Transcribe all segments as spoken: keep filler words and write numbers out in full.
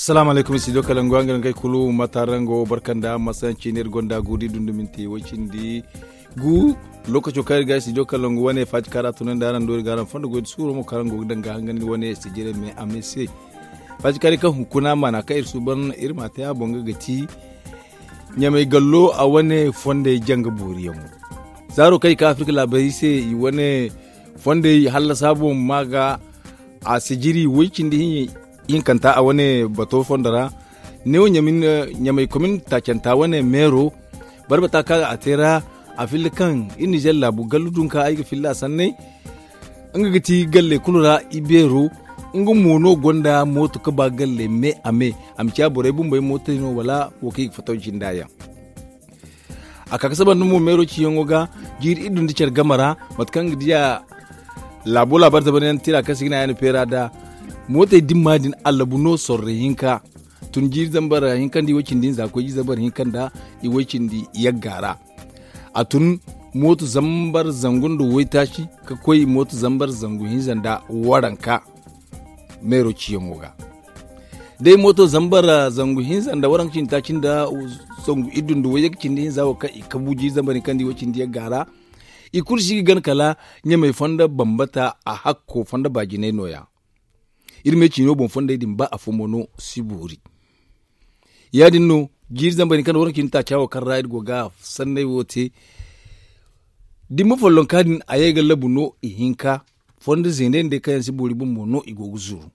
Asalaamu alaykum, studio kalangu, araŋ ga kulu mata araŋ go barka nda masayanci ne iri gonda guuri dunduminti way cindi gu. Lookaco kaŋ iri ga studio kalangu wane faati kaara tunandi araŋ do iri ga araŋ fondo goy da suuro mo kaŋ araŋ go ga daŋ ga hangandi wane sijire me a me se. Faati kaari kaŋ hunkuna maana kaŋ iri suuban iri ma te a boŋ ga ga ti ɲamay gallo a wane fondey janga booriyaŋo. Zaaro kaŋ i ka afirka laabaray se i wane fondey hallasa boŋ ma ga a sijiri way cindi hinkanta a wane bato fondo ra. Neewo ɲamay komin taacanta wane meero barbata kaŋ a te ra a filla kaŋ iri nizer laabu gallu dunka ay ga filla a sanney. Nga ga ti galle kulu ra i beero. Nga mo no gonda mooto ga ba galle me a me a ma ciya borey bumbey mootey no wala wo kaŋ i ga fataw jinda yaŋ. A ka ga saba nda mo meero ciyaŋo ga jiiri iddu nda care game ra mate kaŋ ga diya laabo laabar zabar yaŋ tira kaŋ si ga ne a yaŋ na feera da mootey dimma din allabu no sorro hinka. Tun jiiri zambar hinka nda i way cindi hinza koy jiiri zambar hinka nda i way cindi yagga ra. A tun mooto zambar zangu nda waytaaci ga koy mooto zambar zangu hinza nda waranka meero ciyaŋo ga. Day mooto zambar zangu hinza nda waranka cindi taaci nda zangu iddu nda wayye ga cindi hinza wo kaŋ i kabu jiiri zambar hinka nda i way cindi yagga ra. I kulu si ga gana kala ɲamay fondo bambata a hakko fondo baajinay no- ya. Iri me ciino boŋ fondey din ba afo mo no si boori. Ya- din no jiiri zambar hinka nda waranka cindi taaca wo kaŋ ra iri go ga sanney wo te. Dimma follonka din a ye ga labu no ihinka fondo zeeney nda day kaŋ yaŋ si boori bumbo no i go ga zuru.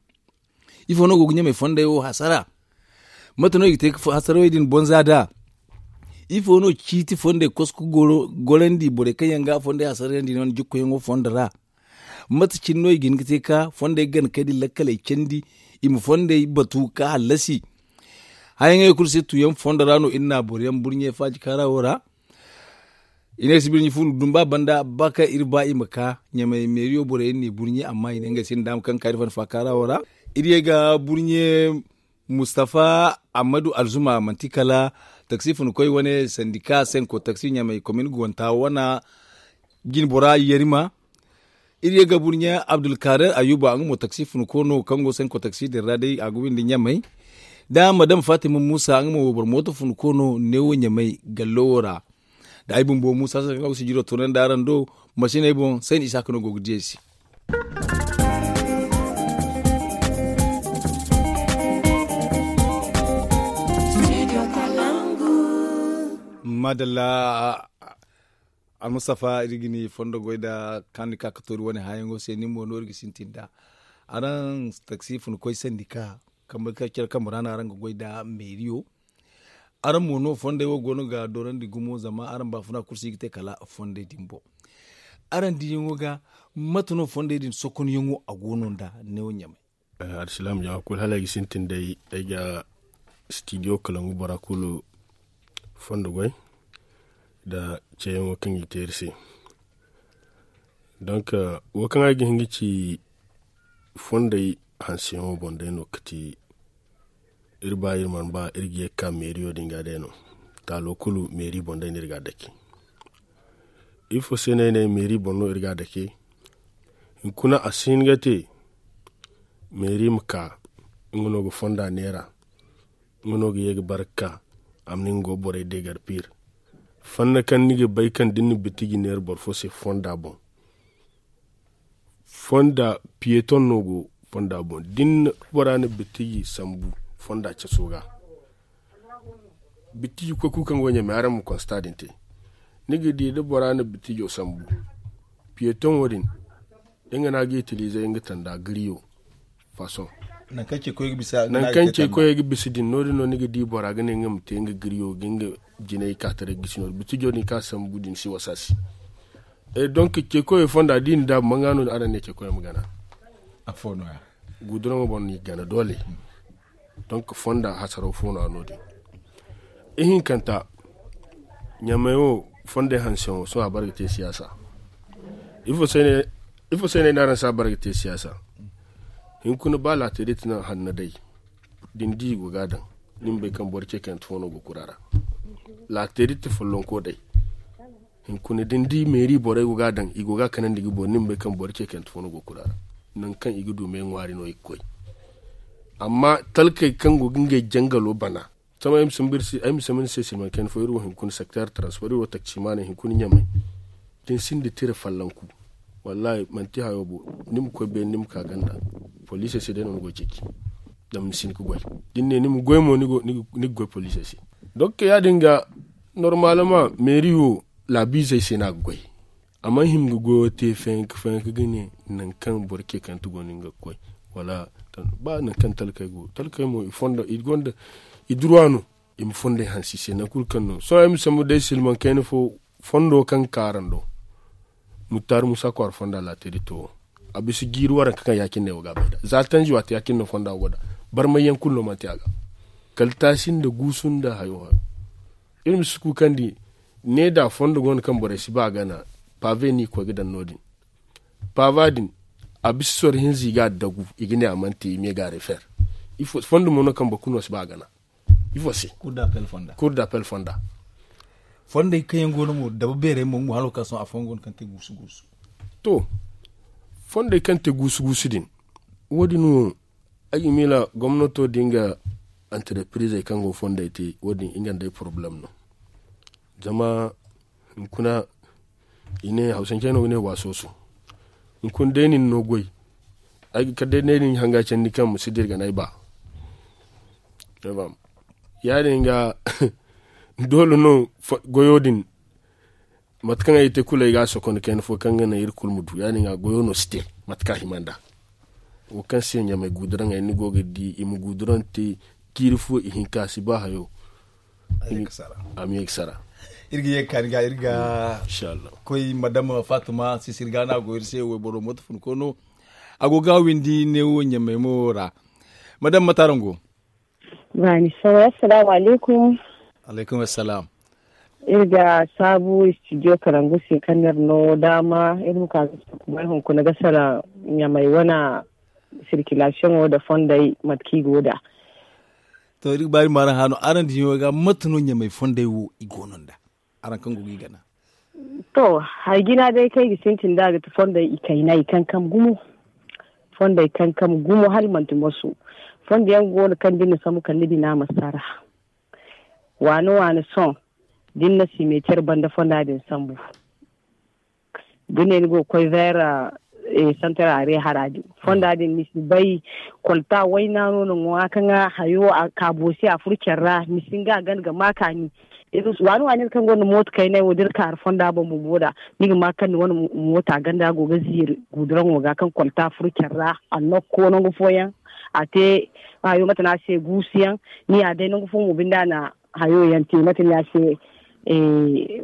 Ifo no go ga ɲamay fondey wo hasara? Mate no i ga te hasarawey din bonza nd'a? Ifo no ciiti fondey kosko gorandi borey kaŋ yaŋ ga fondey hasarayandi no ni jikkoyaŋo fondo ra? Mate cine no i ga hin ga te ka fondey gana kay din lakkaley candi i ma fondey batu ka hallasi. Hayaŋey kulu se tuuyaŋ fondo ra no iri na boro yaŋ burɲe faaji kaara wo ra. I ne sibirɲi funu dumba banda ba kaŋ iri ba i ma ka ɲamay meeriyo borey iri n'i burɲe amma i ne ngey se ni daama kaŋ ga ka iri fanda faakaara wo ra. Iri ye ga burɲe mustafa ammadu alzuma manti kala taksi funkoy wane sandika senko taksi ɲamay komin gonta wana jinbora yarima. Iri ye ga burɲe abdulkader ayuba nga mo taksi funko no kaŋ go senko taksi din ra day a ga windi ɲamay da madam fatima musa nga mo wayboro mooto funko no neewo ɲamay gallo wo ra. Da ay bumbo musa se kaŋ a go sijiro toonandi araŋ do masiney boŋ sayni isa ka no go ga diyey se. Madalla. Almustafa iri ga ni fondo goy nda kaŋ ni ka ga toori wane hããyaŋo se nin mo no iri ga sintin nd'a. Araŋ taksi funkoy sandika kambe kaŋ care kambe ra no araŋ ga goy nda meeriyo. Araŋ mo no fondey wo go no ga doorandi gumo zama araŋ baafuna kulu si ga te kala fondey din boŋ. Araŋ diyaŋo ga mate no fondey din sokonyaŋo a go no nda neewo ɲamay? Alsilaam jama kulu hala ay ga sintin day ay ga stidiyo kalangu bora kulu fondo goy nda ceeyaŋo kaŋ i te iri se. Donk wo kaŋ ay ga hin ga ci fondey hanseyaŋo boŋ day no ga ti iri ba iri mana ba iri ga ye ga ka meeriyo din ga day no. Taalo kulu meeri boŋ day no iri ga a dake. Ifo se no ay ne meeri boŋ no iri ga a dake? Hunkuna a si hin ga te meeri ma ka nga no ga fonda neera. Nga no ga ye ga bare ga ka a ma ne nga go borey deegar piir. Fonda kaŋ ni ga bay kaŋ da ni na bitiji neera boro fo se fonda boŋ fonda piyeton no go fonda boŋ da ni na bora na bitiji sambu fonda caso ga. Bitiji koy kulu kaŋ go ɲamay araŋ ma konsta din te. Ni ga di da bora na bitijo sambu piyeton wo din nga no a ga itilize nga tanda giriyo fasoŋ. Nangu kaŋ ce koy ga bisa din no- din no ni ga di bora ga ne nga ma te nga giriyo ga nga jinay ka taray ga gisi no- din bitijo din kaŋ a sambu din si wasa se. Donk ce koyo fonda da i na daabu manga no araŋ ne ce koyo ma gana? Guduraŋo boŋ no i ga gana doole. Donk fonda hasaraw fo no a no- din. Ihinkanta ɲamay wo fondey hanseyaŋo sohõ a bare ga te siyaasa. Ifo se no ay ne araŋ si a bare ga te siyaasa? Hinkuna ba laateerit no hanno day da ni di i go ga a daŋ ni ma bay kaŋ boro ce kayante fo no go kura ra. Laateerit follonko day. Hinkuna da ni di meeri borey go ga a daŋ i go ga a kanandi ga boori ni ma bay kaŋ boro ce kayante fo no go kura ra. Nangu kaŋ i ga du me ŋwaari no i ga koy. Amma talkey kaŋ go ga ngey jangalo bana, sohõ ay ma sambu ni se silmaŋ kayna fo iri wo hunkuna secteur transport iri wo takcimaaney hunkuna ɲamay. Da ni sinda tira fallanku, wallaahi manti hayo bo. Ni ma koy beene ni ma ka ganda, poliisey se day no ni go ga ceeci. Zama ni si hin ga goy, da ni ne ni ma goy mo ni ga goy poliisey se. Donk ya- din ga, normaaleman meeri wo laabiizey se no a ga goy. A mana hima ga goyo te fayanka fayanka ga ne, nangu kaŋ boro ce kante go no nga ga koy, wala ba nangu kaŋ talkey go talkey mo i gonda i duruwa no. I ma fondey hanse i se nangu kulu kaŋ no sohõ ay ma sambu day silmaŋ kayna fo. Fondo kaŋ ga ka araŋ do, muttaari muusa kwaara fonda laateri to wo. A bisa jiiri waranka kaŋ ya- cine wo ga a bay nd'a za tanzi waati ya- cine no fonda go nd'a. Barmay yaŋ kulu no manti a ga kala taasi nda guusu nda hayo hayo. Iri ma si kuukandi ne da fondo go no kaŋ borey si ba a gana. Pave no i ga koy ga daŋ no- din. Pava din, a bisa soro hinza i ga a dagu i ga ne a mana te i ma ye ga a refer. Fondo mo no kaŋ boro kulu no si ba a gana. Ifo se? Kur d'appel fonda. Fondey kaŋ yaŋ go no mo dabu beerey mo nga mo hala wo kaŋ sohõ afooyaŋ go no kaŋ te guusu guusu. To, fondey kaŋ te guusu guusu din, wo- din wo ay ga miila gomnato da nga anterepirizey kaŋ go ga fondey te, wo- din nga nda ay porobalem no. Zama hunkuna i ne hawsancey no ga ne waasooso. Hunkuna day nin no goy, ay ga kar day day nin hanga candi kaŋ ma si dira ga no ay ba. Ya- din ga doole no goyo din. Mate kaŋ ay te kulu ay ga a sokonda kayna fo kaŋ ga naŋ iri kulu ma du ya- din ga goyo no si te. Mate kaŋ a hima nd'a wo kaŋ se ɲamay guuduraŋey ni go ga di i ma guuduraŋ te. Jiiri fo ihinka si ba hayo. A ma ye ga sara. Iri ga ye ga kaani ga iri ga koy madama faatuma sisiri ga no a go iri se wayboro mooto funko no. A go ga a windi neewo ɲamay mo ra. Madama mate araŋ go? Baani saway assalaamu alaykum. Alaykum assalam. Iri ga saabu istidiyo karangu se kaŋ no iri no daama iri ma ka ga sara kubay hunkuna ga sara ɲamay wane sirkilasiyoŋo nda fondey mate kaŋ i go nd'a. To iri ga ba iri ma araŋ hã no araŋ diɲo ga mate no ɲamay fondey wo i go no nd'a? Araŋ kaŋ go ga i gana. To, hari jina day kaŋ ay ga sintin nd'a ga ti fondey ikaynay kankam gumo. Fondey kankam gumo hala manti moso. Fondo yaŋ go no kaŋ da ni na sambu kala ni bina ma sara. Waani waani sohõ da ni na simeeter banda fonda din sambu, da ne ni go ga koy veera santar are hara din fonda din ni si bay. Kolta wayna no na ŋwa ka ŋwa hayo a ka boosi a furo care ra ni si hin ga a gana ga ma kaani. Waani waani iri kaŋ gonda mooto kaynay wo da iri kaaru fonda boŋ bumbo nd'a ni ga ma kaŋ ni wane moota ganda go ga ziiri guuduraŋo ga kaŋ kolta furo care ra. A nokko nangu fooyaŋ a te hayo mate no a se guusuyaŋ. Ni ya day nangu fo mo binde a na hayo yaŋ te mate no ya se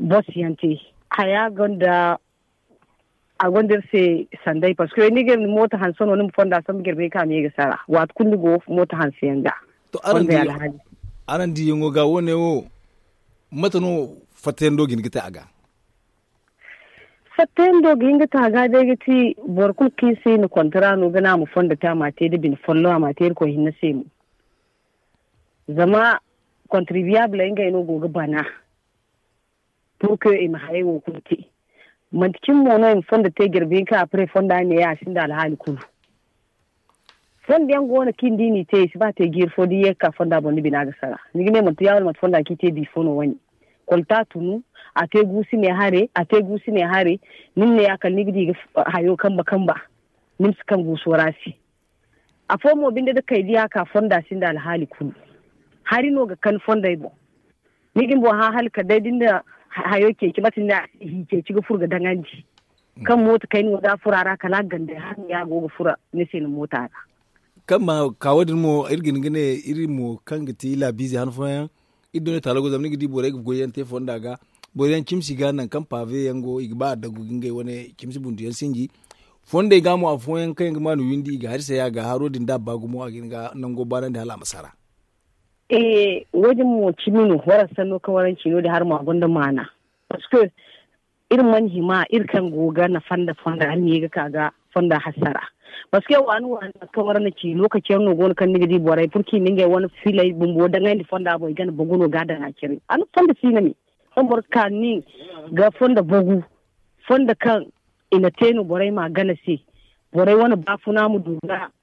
bos yaŋ te. Haya gonda a gonda iri se sanday parceque ni ga iri ma mooto hanse no ni ma fonda sambu jirbi hinka a ma ye ga sara waati kulu ni go mooto hanse yaŋ ga. To araŋ diyaŋo ga wo- ne wo mate no fattayaŋ do ga hin ga te a ga? Fattayaŋ do ga hin ga te a ga day ga ti boro kulu kaŋ iri se i na kontara no ga ne a ma fondo te a ma a te nda bine folloŋ a ma a te irkoy hinne se mo. Zama kontribiyaabuley ngey no go ga bana. Pur ke i ma hayey wo kulu te manti cine mo no i ma fondo te jirbi hinka apre fonda ne a sinda alhaali kulu. Fondo yaŋ go no kaŋ i di n'i te i si ba te jiiri fo da i ye ga ka fonda boŋ ni bina ga sara ni ga ne manti ya wala manti fonda kaŋ i te bifo no wane. Kolta tunu a te guusu ne hare a te guusu ne hare. Ni ma ne ya kala ni ga di ga hayo kamba kamba. Ni ma si kaŋ guuso ra se. Afo mo binde da kay diya ka fonda sinda alhaali kulu. Hari no ga kan fondey boŋ. Ni ga ni boŋ hã hala kala day da ni na hayo ceeci mate ni ne a se hi ceeci ga furo ga daŋandi. Kaŋ mooto kayna wo da a furo a ra kala a ga gandey hala ni ya go ga furo ni se ni moota ra. Kaŋ ma ka wo- din mo iri ga hin ga ne iri mo kaŋ ga ti laabiize han fooyaŋ. Iri duniya taalo go zama ni ga di borey ga goyyaŋ te fonda ga. Boro yaŋ cimsi ga nangu kaŋ pave yaŋ go i ga ba a dagu ga ngey wane cimsi bundu yaŋ sinji. Fondey ga mo afooyaŋ kaŋ yaŋ ga maanu windi i ga hari say a ga haro din da a ba gumo a ga hin ga nango baanandi hala a ma sara. Wo- din mo cimi no waraŋ sanno kaŋ waraŋ ci no- din hari mo a gonda maana. Parceque iri mana hima iri kaŋ go ga nafa nda fonda hala ni ye ga ka ga fonda hassara. Parceque waani waani mate kaŋ waraŋ na ci lokaci yaŋ no go no kaŋ ni ga di borey purki ni ngey wane filey bumbo daŋayndi fonda boŋ i gana bagu no ga a daŋ a cire a na fonda siina me. Kaŋ boro ga ka ni ga fonda bagu fonda kaŋ i na te no borey ma gana se. Borey wane baafuna ma du ga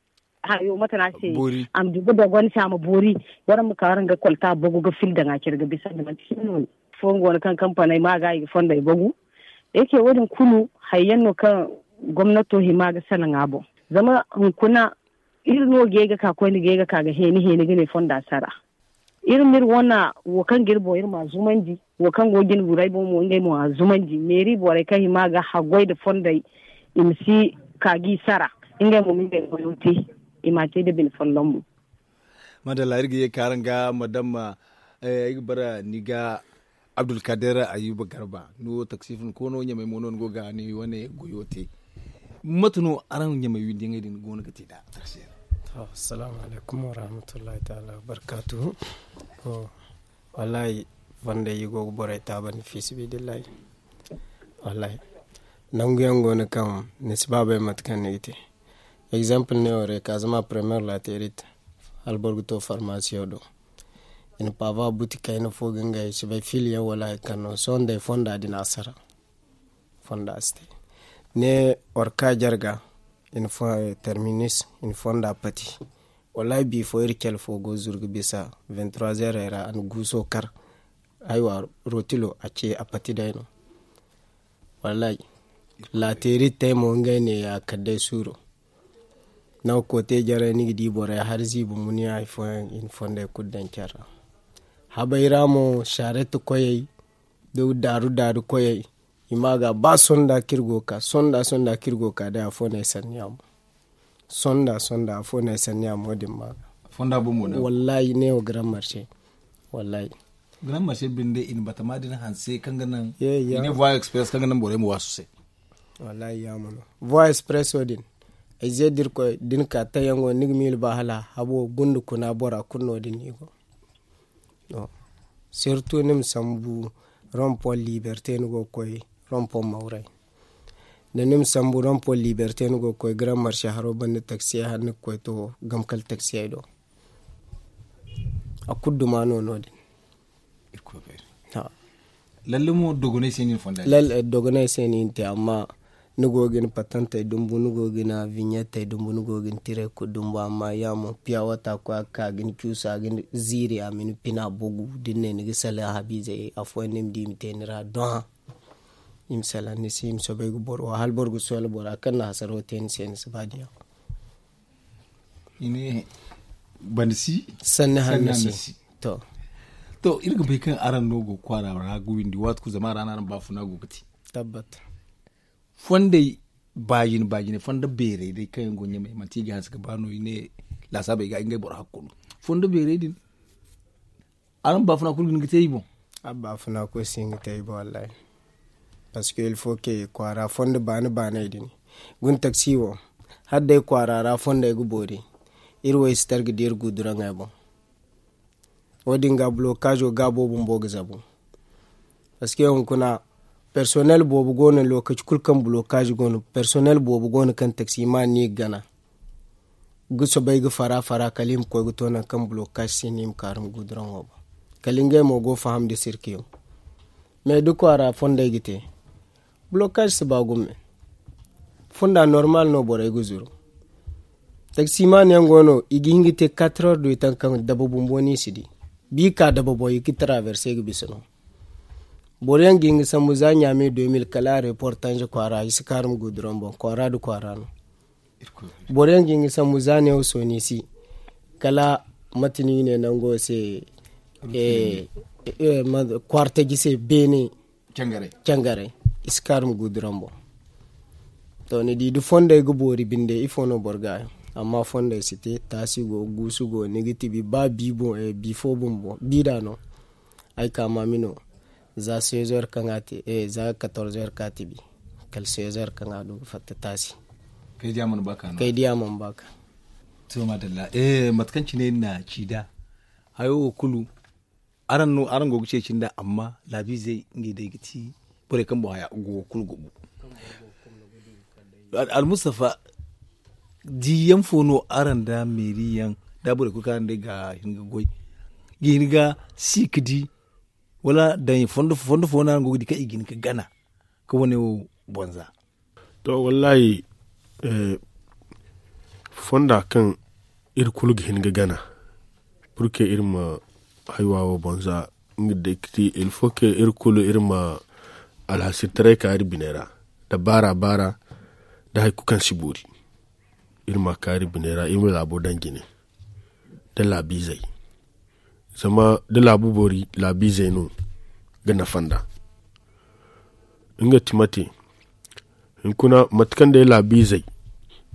hayo mate no a se. A ma du ga dogon se a ma boori. Waraŋ ma ka waraŋ ga kolta bogu ga fil daŋ a care ga bisa nda manti hinne no. Fooyaŋ go no kaŋ kampaney ma ga i ga fondey bogu. Eke wo- din kulu hayyaŋ no kaŋ gomnato hima ga salaŋ a boŋ. Zama hunkuna iri no ga ye ga ka koyne ga ye ga ka ga heeni heeni ga ne fonda sara. Iri ma iri wana wo kaŋ ga iri boŋ iri ma a zumandi. Wo kaŋ go ga jine guray boŋ mo ngey mo a zumandi meeri borey kaŋ hima ga haggoy nda fondey i ma si ka ga i sara. Ngey mo ma ngey goyo te i ma a te nda bine folloŋ mo. Madalla iri ga ye ka araŋ ga madamma. Ay ga bara ni ga abdulkader ayuba garba ni wo taksifin koono ɲamey mo no ni go ga ni wane goyo te. Mate no araŋ ɲamey windiyaŋey din go no ga te nd'a? Assalamu alaykum warahmatullahi taala wabarkatu. Wallahi, fonday i go ga borey taabandi fiisibidillahi. Wallahi, nangu yaŋ go no kaŋ ni si ba bay mate kaŋ ni ga te. Egzample ne wo ra i ka zama premiyer laterit hala boro ga to farmasiyo do. I na paava buti kayna fo ga ngey si bay fili yaŋ wala hari kaŋ no sohõ day fonda din a sara. Fonda si te ne war ka jarga. Terminus i na fonda pati. Wallahi bifo iri cale fo go zuru ga bisa vingt trois heures ra a na guuso kar. Aywa, rotilo a ce a pati day no. Wallahi, lateeri te mo ngey ne ya kala day suuro. Nangu koote jarey ni ga di borey hari ziibi muniya hari fooyaŋ i na fondey kulu daŋ care ra. Habey ra mo saarette koyey da daaru daaru koyey. I ma ga ba sonda kaŋ iri go ga ka sonda sonda kaŋ iri go ga ka day afo no ay sanni a mo. Sonda sonda afo no ay sanni a mo din ma ga. Wallahi ne wo grand marché. Wallahi, grand marché binde i na batama din hanse kaŋ ga naŋ i ne voie express kaŋ ga naŋ borey ma waasu se. Wallahi yaamo no voie express wo din. Ay ze da iri koy da ni ka taŋ yaŋo ni ga miila ba hala habo gunda kuna bora kulu no- din no i go. Sirtu ni ma sambu rompon liberte ni go ga koy rompon mawray. Da ni ma sambu rompon liberte ni go ga koy grand marché haro banda taksiyey hala ni ga koy to gamkal taksiyey do. A kulu duma no no- din. Lalle mo dogonay se no i na fonda. Dogonay se no i na te amma ni go ga ni patantey dumbu ni go ga ni viɲettey dumbu ni go ga ni tirey kulu dumbu amma ya mo piya wata koy a ga ka ga ni cuusu a ga ni ziiri a ma ni pina bogu da ni ne ni ga salaŋ habiizey afooyaŋ no i ma di i ma te ni ra dohã. I ma salaŋ ni se i ma soobay ga boro wo hala boro ga soola bora kaŋ na hasaro te ni se ni si ba diya. I ne banda si sanni hanno si. To iri ga bay kaŋ araŋ no go ga kwaara ra ga windi waati kulu zama a ra no araŋ baafuna go ga te. Tabbat. Fondey baajine baajine fondo beerey day kaŋ yaŋ go ɲamey manti i ga hanse ga ba no i ne laasaabey ga ngey boro hakkulu fondo beerey din. Araŋ baafuna kulu ga hin ga te i boŋ. Araŋ baafuna kulu si hin ga te i boŋ wallahi. Parce que il faut que kwaara fondo baani baanay din guna taksi wo hala day kwaara ra fondey ga boori. Iri wo i si tara ga di iri guduraŋey boŋ. Wo- din ga bulokaazo gaabo bumbo ga zabu. Parce que hunkuna personnel boobo go no lookaci kulu kaŋ bulokaazo go no personnel boobo go no kaŋ taksi ma ni ga gana. Ga soobay ga fara fara kala i ma koy ga to nangu kaŋ bulokaazo si no i ma kaarum guduraŋo boŋ. Kala ngey mo go ga faham nda sirkiyo. Mais da kwaara fondey ga te bulokaazo si ba gumo. Fonda normal no borey ga zuru. Taksimaani yaŋ go no i ga hin ga te quatre heures du temps kaŋ daba bumbo no i si di. Ba i ka daba boŋ i ga traverse ga bisa no. Boro yaŋ ga hin ga sambu za ɲaame deux mille kala a reportange kwaara i si kaarum guduraŋ boŋ kwaara nda kwaara no. Boro yaŋ ga hin ga sambu za neewo sooni si kala mate no i ne nango se kwaara taji se beene. Cangaray i si kaarum guduraŋ boŋ. To ni di da fondey ga boori binde ifo no boro ga hayo. Amma fondey si te taasi go guusu go ni ga tibi ba bi fo bumbo bi da no. Ay ka maami no za seize heures kaŋ a te za quatorze heures ka tibi kala seize heures kaŋ a du ga fatta taasi. Kay di a mana ba ka no kay di a mana ba ka. To madalla mate kaŋ cine ni na ci da hayo wo kulu. Araŋ no araŋ go ga ceeci nda amma laabiizey ngey day ga ti borey kaŋ boŋ haya go kulu go. Almustafa diyaŋ fo no araŋ nda meeri yaŋ da borey kulu kaŋ araŋ day ga hin ga goy ga hin ga si ga di wala daŋ fondo fo no araŋ go ga di kaŋ i ga hin ga gana ka wane wo boŋ za. To wallahi fonda kaŋ Iri kulu ga hin ga gana purke iri ma haywa wo boŋ za. Nga day ga ti ilfo ke iri kulu iri ma alhasirtaray ka iri biney ra da baara baara da hari kulu kaŋ si boori. Iri ma ka iri biney ra iri ma laabo daŋ jine da laabiizey. Zama da laabu boori laabiizey no ga nafa nd'a. Nga ti mate hunkuna mate kaŋ day laabiizey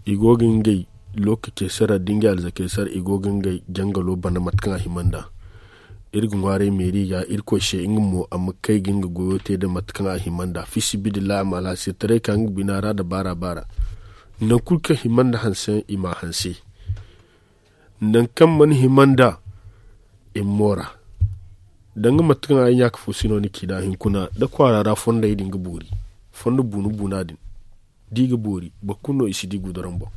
i go ga ngey lookacey sara da ngey alzakey sara i go ga ngey jangalo bana mate kaŋ a hima nd'a. Iri ga ŋwaaray meeri ga irkoy se nga mo a ma kay ga nga goyo te nda mate kaŋ a hima nd'a fiisabilillahi a ma alhasirtaray ka nga bina ra nda baara baara. Nangu kulu kaŋ hima nda hanse i m'a hanse. Nangu kaŋ mana hima nda i ma moora. Danga mate kaŋ ay ɲaaka fo si no ni ci nd'a hunkuna da kwaara ra fondey din ga boori fondo buuna buuna din da i ga boori boro kulu no i si di guduram boŋ.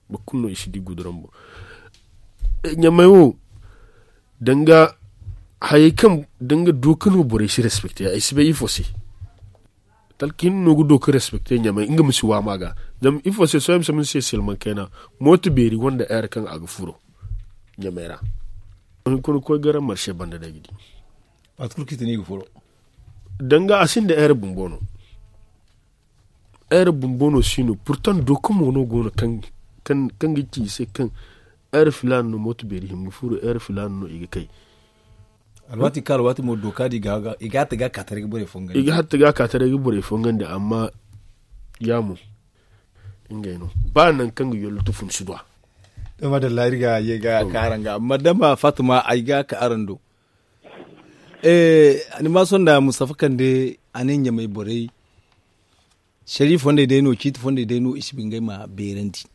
Boro kulu no i si di guduram boŋ. Ɲamey wo danga hayey kaŋ danga dooka no borey si respekte ay si bay ifo se. Talka hinne no ga dooka respekte ɲamey nga ma si waama ga. Zama ifo se sohõ ay ma si silmaŋ kayna mooto beeri gonda heure kaŋ a ga furo ɲamey ra. Hunkuna koy gara marse banda day ga di. Waati kulu kaŋ i te no i ga furo. Danga a sinda heure bumbo no. Heure bumbo no si no purtaŋ dooka mo no go no kaŋ ga ci i se kaŋ heure filaana no mooto beeri hima ga furo heure filaana no i ga kay. Alwaati kaŋ alwaati mo dooka din i ga hatta ga a ka taray ga borey fongandi. I ga hatta ga a ka taray ga borey fongandi amma ya mo ngey no ba nangu kaŋ ga yollo tufun si du a. To madalla iri ga ye ga ka araŋ ga amma dama fatima ay ga ka araŋ do. Ni ma sohõ nda mustafa kande a ne ɲamey borey sariya fondey day no ciiti fondey day no i si ba ngey ma beerandi.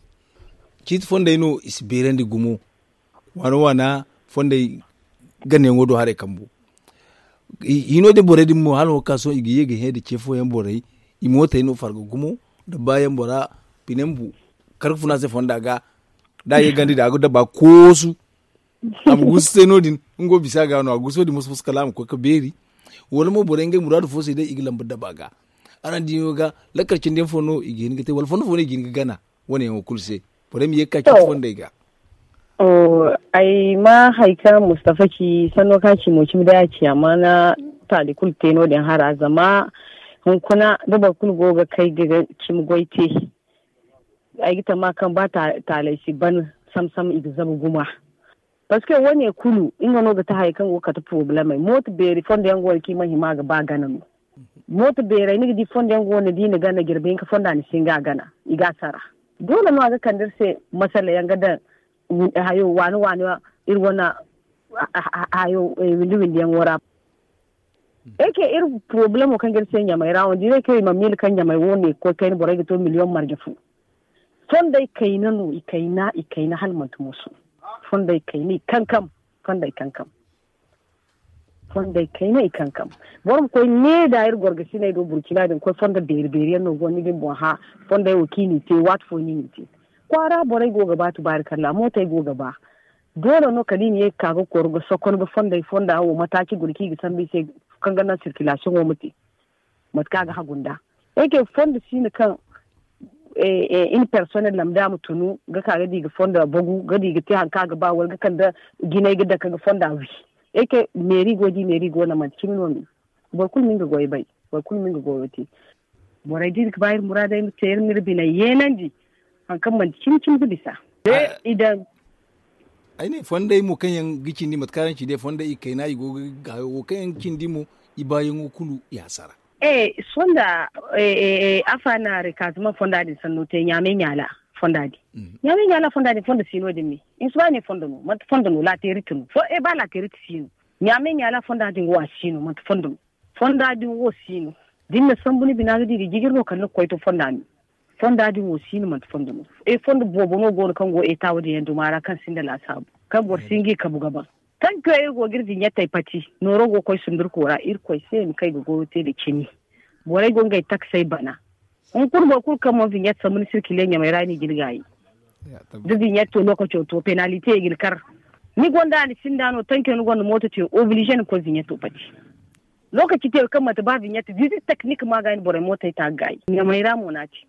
Ciiti fondey no i si beerandi gumo waana waana fondey ganayaŋo do haray kambu. Hino din borey din mo hala wo ga ka sohõ i ga ye ga hẽ nda ce fooyaŋ borey i mootey no farga gumo nda baayaŋ bora bine ma bu kar ga funa se fonda ga da a ye ganda din a ga daba koosu. A ma guusu se no- din nga wo bisa ga no a guuso din moso-moso kala a ma koy ga beeri. Wala mo borey ngey muraadu fo se day i ga lamba daba ga. Araŋ di no ga lakkal cindi yaŋ fo no i ga hin ga te wala fondo fo no i ga hin ga gana wane yaŋo kulu se. Borey ma ye ga ka cindi fondey ga. Ay ma hari kaŋ mustafa ci sanno kaŋ a ci mo cimi day a ci amaana. Taali kulu te no- din hara zama hunkuna da boro kulu go ga kay ga cimi goy te. Ay ga tama kaŋ ba taaley si ban sam sam i ga zabu guma. Parceque wo- ne kulu nga no ga ti hayey kaŋ go ga kate porobalemey mooto beeri fondo yaŋ go no kaŋ i mana hima ga ba gana no. Mooto beerey ni ga di fondo yaŋ go no da i na gana jirbi hinka fonda ni si hin ga a gana i ga a sara. Doole no a ga kande iri se masala yaŋ ga daŋ hayo waani waani iri wane hayo windi windi yaŋo ra. Ey ke iri porobalemo kaŋ ga iri se ɲamey ra wo da i ne kaŋ i ma miila kaŋ ɲamey wo ne ga koy kayna borey ga to miliyoŋ marje fo. Fondey kayna no i kayna i kayna hala manti musu. Fondey kayna i kankam. Fondey kankam. Fondey kayna i kankam. Boro ma koy ne da iri gorgasiney do burkina din koy fondo beeri beeri yaŋ no go ni din boŋ hã. Fondey wo kaŋ i n'i te waati fo no i n'i te. Kwaara borey go ga ba tubaari kalla mootey go ga ba. Doole no kala i ma ye ga ka ga koru ga sokon ga fondey fonda wo mataaci guna kaŋ i ga sambu i se kaŋ ga naŋ sirkilasiyoŋo ma te. Mate kaŋ a ga hagu nd'a ay kay fondo siino kaŋ iri personnel lamba day a ma tunu ga ka ga di ga fondo a bagu ga di ga te hari kaŋ a ga ba wala ga kande jinay ga dake ga fondo a wi. Ay kay meeri go di meeri go no manti cimi no me. Boro kulu ma nga goyo bay. Boro kulu ma nga goyo te. Borey da iri ga ba iri muraadey ma te iri ma iri biney yeenandi. Hari kaŋ manti cimi cimi ga bisa. Ay ne fondey mo kaŋ yaŋ ga cindi mate kaŋ araŋ ci day fondey i kayna i go ga hayo wo kaŋ yaŋ ga cindi mo i baayaŋo kulu i hasara. Fonda afa na rekaazama fonda din sanno te ɲaamay ɲaala fonda din. Ɲaamay ɲaala fonda din fondo si no- din me. Hinsa ba ne fondo no manti fondo no laateerite no. Ba laateerite si no. Ɲaamay ɲaala fonda din wo a si no manti fondo no. Fonda din wo si no. Da ni na sambu ni bina ga di ga jijir no kala ni ga koy to fonda me. Fonda din wo si no manti fondo no. Fondo boobo no go no kaŋ go eta wo- din yaŋ duma ra kaŋ sinda laasaabu kaŋ boro si nga i kabu ga ban. Tankiyo iri go ga iri viɲettey pati nooro go ga koy sundurko ra irkoy se ma kay ga goyo te nda cimi. Borey go ngey taksey bana. Hunkuna boro kulu kaŋ mana viɲette sambu ni sirkile ɲamey ra i n'i ga ni gaayi. Da viɲetto lookaco to penalite i ga ni kar. Ni gonda ni sinda no tankiyo ni gonda mooto te obilize ni koy viɲetto pati. Lookaci te kaŋ manti ba viɲette visit teknik ma ga ni borey mootey ta ga gaayi ɲamey ra mo no a ci.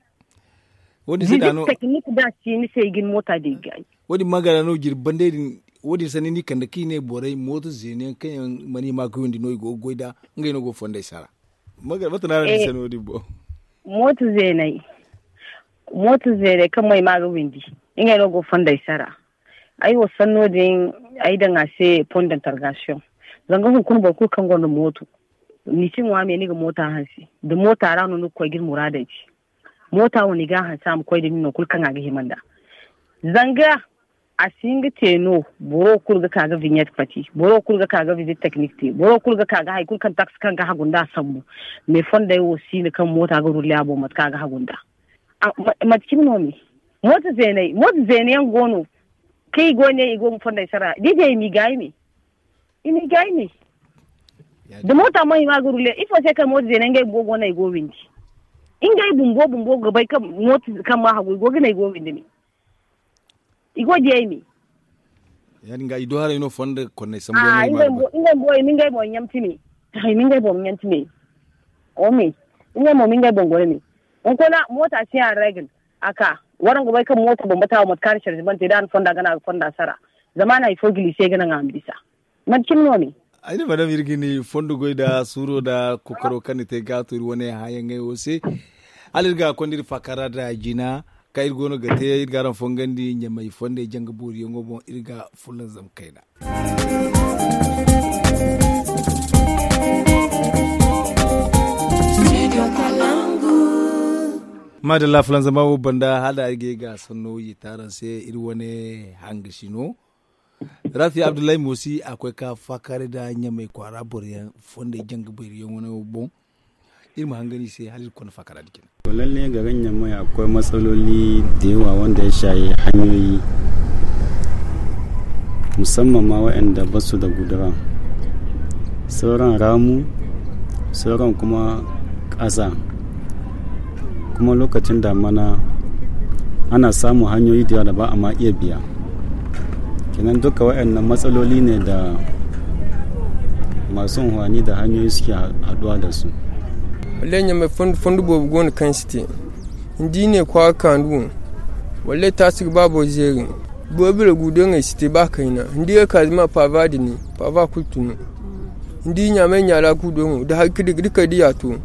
Wo- din se da no- Technique da si ni se i ga ni moota da i ga ay. Wo- din ma gara no jirbi bandey din. Wo- din sanni ni kande kaŋ i ne borey mooto zeene yaŋ kaŋ yaŋ mana hima ga windi no i go ga goy nd'a. Ngey no go ga fondey sara. Mate no a ra ni se no- din boŋ? Mooto zeeney mooto zeeney kaŋ mana hima ga windi. Ngey no go ga fondey sara. Ay wo sanno din ay daŋ a se pont d'interrogation. Zanga hunkuna boro kulu kaŋ gonda mooto ni si ŋwa me ni ga moota hanse da moota ra no ni ga koy ga ni muraadey ci. Moota wo ni ga a hanse a ma koy da ni no kulu kaŋ a ga hima nd'a. Zanga a si hin ga te no. Boro kulu ga ka ga vignette pati, boro kulu ga ka ga visite technique te, boro kulu ga ka ga hari kulu kaŋ taksi kaŋ ga hagu nd'a sambu. Mais fondey wo si no kaŋ moota ga rulle a boŋ mate kaŋ a ga hagu nd'a. Mate cine no me? Mooto zeeney mooto zeene yaŋ go no. Kaŋ i go ne i go ga fondey sara da i di ay ma i gaayi me. I ma i gaayi me. Da moota mo i ma ga rulle ifo se kaŋ mooto zeene ngey bumbo go no ay go ga windi. Ngey bumbo bumbo ga bay kaŋ mooto kaŋ ma hagu i go ga ne ay go ga windi me. I go ga di ay me. Ya- din ga i do haray no fondo konney sambu yaŋ no i ma ga bay. Ngey bumbo i ma ngey boŋ ɲamti me. Ay ma ngey boŋ ɲamti me. O me. Ngey mo ma ngey boŋ goro me. Hunkuna moota si a regle. A ka waraŋ ga bay kaŋ mooto bambata wo mate kaŋ a na sarzi bante da a na fonda gana a ga fonda sara. Zama a na hari fo gilise ga naŋ a ma bisa. Mate cine no ne? Ay ne madam iri ga ni fondo goy nda suuro nda kokaro kaŋ ni te ga a to iri wane hãyaŋey wo se. Hala iri ga konda iri faakara nda jina kaŋ iri go no ga te iri ga araŋ fongandi ɲamay fondey janga booriyaŋo boŋ iri ga fulanzam kayna. Maadalla fulanzama wo banda hala ay ga ay ga sanno yiita araŋ se iri wane hangasi no. Rafi abdullahi moosi a koy ka faakaaray nda ɲamay kwaara boro yaŋ fondey janga bayrayaŋ wane boŋ. Iri ma hangan i se hala iri ga konda faakara din cine. Wallaahi ne ga ga ɲamay a ga koy matsaloli da yawa wanda ya shahi hanyoyi musamman ma waɗanda ba su da gudura sauran ramu sauran kuma ƙasa kuma lokacin damana ana samun hanyoyi da yawa da ba a ma iya biya. Kenan duka waɗannan matsaloli ne da masu unhwani da hanyoyi suke haɗuwa da su. Wallaahi ɲamay fondo boobo go no kaŋ si te ni di ne kwaara kaanu wo. Wallaahi taasi ga ba boro zeeri. Boro bira guudoŋey si te ba kayna ni di ga ka zama paava din ne paava kulu tun no. Ni di ɲaamay ɲaara guudoŋo da hari ga dikay da yaato.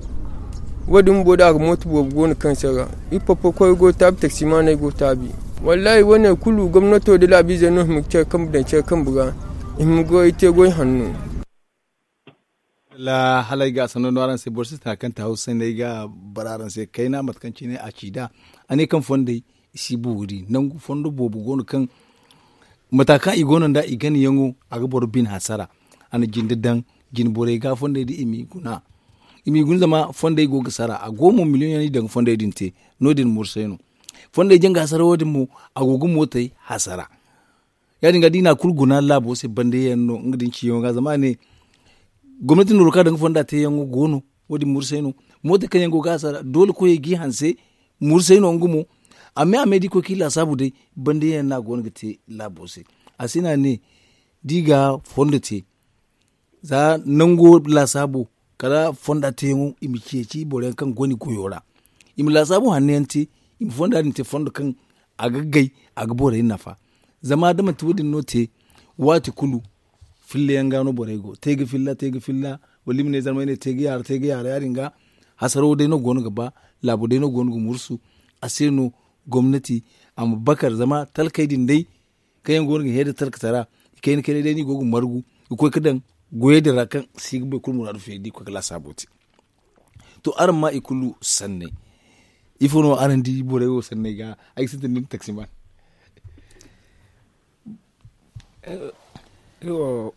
Wo- din bumbo da a ga mooto boobo go no kaŋ si a ra. Iri popo koyey go ga taabi taksimaaney go ga taabi. Wallaahi wo- ne kulu gomnato da laabiizey no hima ga care kambe daŋ care kambe ra. I hima ga goy te goy hanno. Hala ay ga a sanno no araŋ se boro si tana kaŋ te hawsa sanni ay ga a bara araŋ se kayna mate kaŋ cine a ci nd'a. A ne kaŋ fondey i si boori nangu fondo boobo go no kaŋ mata kaŋ i go no nd'a i ganayaŋo a ga boro bine hasara. A na jinde daŋ jine borey ga fondey da i m'i guna. I m'i guna zama fondey go ga sara a go mo miliyoŋ yaŋ no i daŋ ga fondey din te. No- din mursay no fondey janga hasara wo- din mo a go ga mootey hasara. Ya- din ga da i na a kulu guna laabo se bande yaŋ no nga da ni ciyaŋo ga zama a ne gomnati nooro kaŋ a daŋ ga fonda teeyaŋo go no. Wo- din mursay no mootey kaŋ yaŋ go ga hasara doole koyey g'i hanse. Mursay no nga mo. Amma a me da i koy kaŋ i laasaabu day bande yaŋ no a go no ga te laabo se. A si no a ne da i ga fondo te za nango laasaabo kala fonda teeyaŋo i ma ceeci boro yaŋ kaŋ go no i goyo ra. I ma laasaabu hanno yaŋ te i ma fonda din te fondo kaŋ a ga gay a ga borey nafa. Zama da manti wo- din no te waati kulu filla yaŋ ga no borey go te ga filla te ga filla wala i ma ne zarmay ne te ga yaara te ga yaara ya- din ga hasaro day no go no ga ba. Laabo day no go no ga mursu. A se no gomnati a ma bakar zama talkey din day kaŋ yaŋ go no ga heeda talkatara i kayna kaynay day no i go ga margu ga koy ga daŋ goyey din ra kaŋ si ga boro kulu muraadu feeri da i koy ga laasaabo te. To araŋ ma i kulu sanney ifo no araŋ di borey wo sanney ga ay ga sintin da ni taksiman.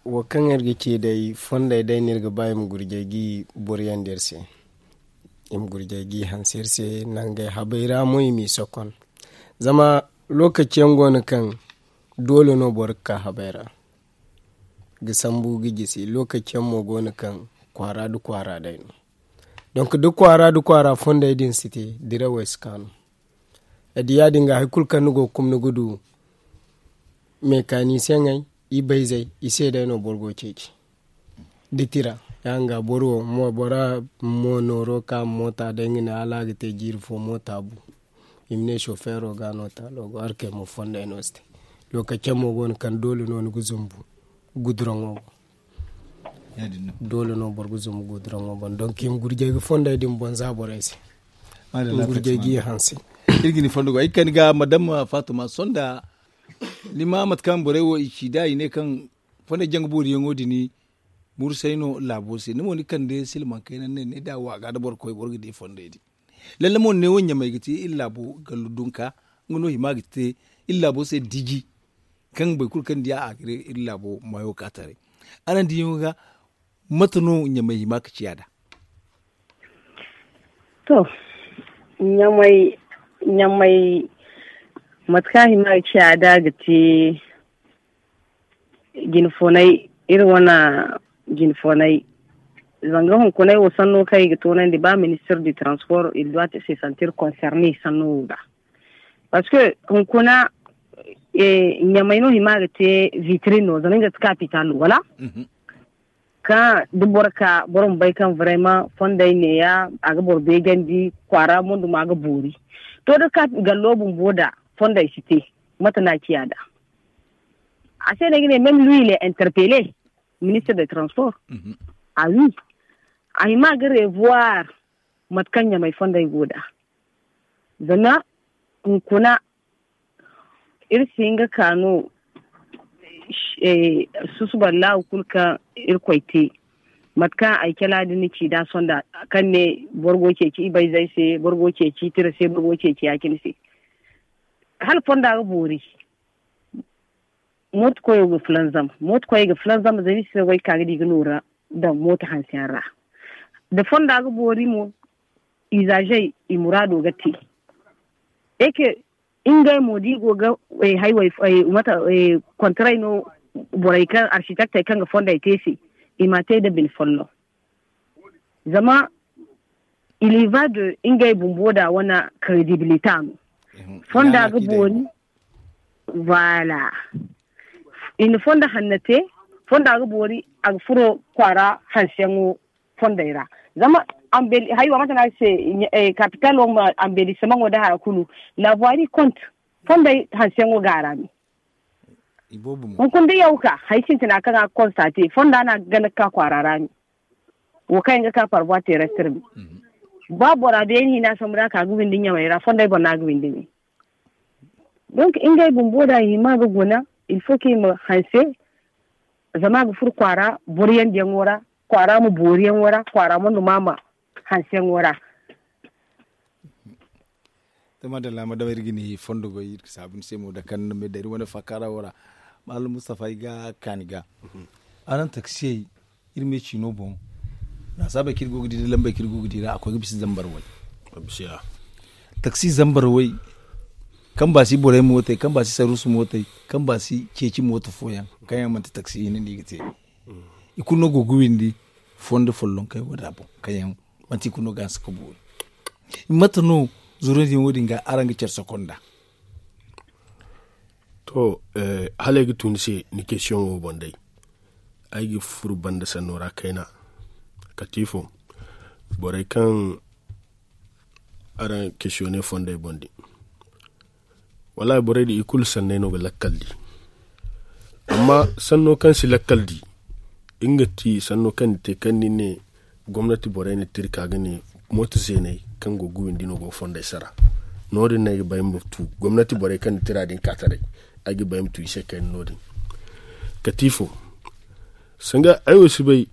Wo kaŋ iri ga ci day fondey day no iri ga ba i ma gurjay ga i boriyandi iri se. I ma gurjay ga i hanse iri se nangey habey ra mo i m'i sokon. Zama lokaci yaŋ go no kaŋ doole no boro ga ka habey ra ga sambu ga jisi lokaci yaŋ mo go no kaŋ kwaara nda kwaara day no. Donk da kwaara nda kwaara fondey din si te dirawey si kaanu. Ay di ya- din ga hari kulu kaŋ ni go ga kuma ni ga du mekanisiyeŋey ibayzey i se day no boro go ga ceeci. Da tira ya- din ga boro wo bora mo nooro ka moota day nga ne hala a ga te jiiri fo moota bu. I ma ne sofeero ga no taalo go harkey mo fondey no si te. Lokaci yaŋ mo go no kaŋ doole no ni ga zumbu guduraŋo boŋ. Doole no boro ga zumbu guduraŋo boŋ donk i ma gurjay ga fondey din boŋ za borey se. I ma gurjay ga i hanse. Iri ga ni fondo go ay ga kani ga madam fatuma sonda. Ni ma mate kaŋ borey wo i ci da i ne kaŋ fondey jaŋ ga booriyaŋo din mursay no laabo se ni mo ni kande silmaŋ kayna ne ne da wa ga da boro koy boro ga di fondey din. Lalle mo ne wo ɲamay ga te iri laabo gallu dunka nga no hima ga te iri laabo se diji. Kaŋ boro kulu kaŋ di a ga iri laabo mayo ka taray. Araŋ diyaŋo ga mate no ɲamay hima ga ciya da? To, ɲamay ɲamay mate kaŋ a hima ga ciya da ga te jinfonay iri wane jinfonay. Zanga hunkunay wo sanno kaŋ i ga toonandi ba ministir du transport il doit se sentir concerne sanno wo ga. Parce que hunkuna ɲamay no hima ga te vitrin no zama nga ga te kapital wala? Kaŋ da boro ka boro ma bay kaŋ vraiment fondey neeya a ga boro beejandi kwaara mo duma ga boori. To da ka gallo bumbo da fondey si te mate no a ciya da? A se no ay ga ne même lui il est interpellé ministre de transport. A wi a hima ga revoir mate kaŋ ɲamay fondey go da. Zama hunkuna iri si hin ga ka no susuba laawu kulu kaŋ irkoy te. Mate kaŋ ay cala din ni ci da sonda kaŋ ne boro go ceeci ibayzey se boro go ceeci tira se boro go ceeci ya-cine se. Hala fonda ga boori mooto koyo ga fulanzam mooto koyo ga fulanzam zama i si ga goy ga ka ga di ga nooru daŋ mooto hanse yaŋ ra. Da fonda ga boori mo izaazey i muraado ga te. Eke ngey mo da i go ga haywey mate kontaray no borey kaŋ arsitaktey kaŋ ga fondey te se i m'a te nda bine folloŋ. Zama iliva de ngey bumbo da wane kredibilita no. Fonda ga boori. Voilà. I na fondo hanno te fondo a ga boori a ga furo kwaara hanseyaŋo fondey ra. Zama haywa mate no a ga se kapital wo ma ambelisimaŋo nda haya kulu. Labuwari kont fondey hanseyaŋo ga a ra me. Hunkuna da yaw ka hari sintina kaŋ a ga konstate fonda no a ga gana ga ka kwaara ra me. Wo kaŋ yaŋ ga ka parvoi terrestre me. Ba bora beene hina sambu da a ka ga windi ɲamey ra fondey boŋ no a ga windi me. Donc ngey bumbo da i hima ga guna il faut que i ma hanse. Zama a ga furo kwaara boro yandiyaŋo ra kwaara ma booriyaŋo ra kwaara ma numa ma hanseyaŋo ra. To madalla madama iri ga ni fondo goy iri ga saabu ni se mo da kaŋ ni ma day iri wane fakara wo ra. Mallam mustafa ay ga kaani ga araŋ taksiyey iri me ciino boŋ. Nasaabey kaŋ iri go ga di da lambey kaŋ iri go ga di ra a koy ga bisa zambar way. Taksi zambar way kaŋ ba si borey mootey kaŋ ba si saruusu mootey kaŋ ba si ceeci mooto fooyaŋ kaŋ yaŋ manti taksi hinne no i ga te. I kulu no go ga windi fondo follonkey wo- din a boŋ kaŋ yaŋ manti i kulu no ga hanse ga boori. Mate no zurundiyaŋo din ga araŋ ga care sokonda? To, hala ay ga tu ni se ni kesiyoŋo boŋ day ay ga furo banda sanno ra kayna. Katiifo borey kaŋ araŋ kesiyone fondey boŋ din. Wallaahi borey din i kulu sanney no ga lakkal di. Amma sanno kaŋ si lakkal di nga ti sanno kaŋ ni te kaŋ ni ne gomnati borey na tira ka ga ne mooto zeeney kaŋ go ga windi no go ga fondey sara. No- din no ay ga ba ay ma tu gomnati borey kaŋ na tira din ka taray ay ga ba ay ma tu i se kayna no- din. Katiifo sanga ay wo si bay.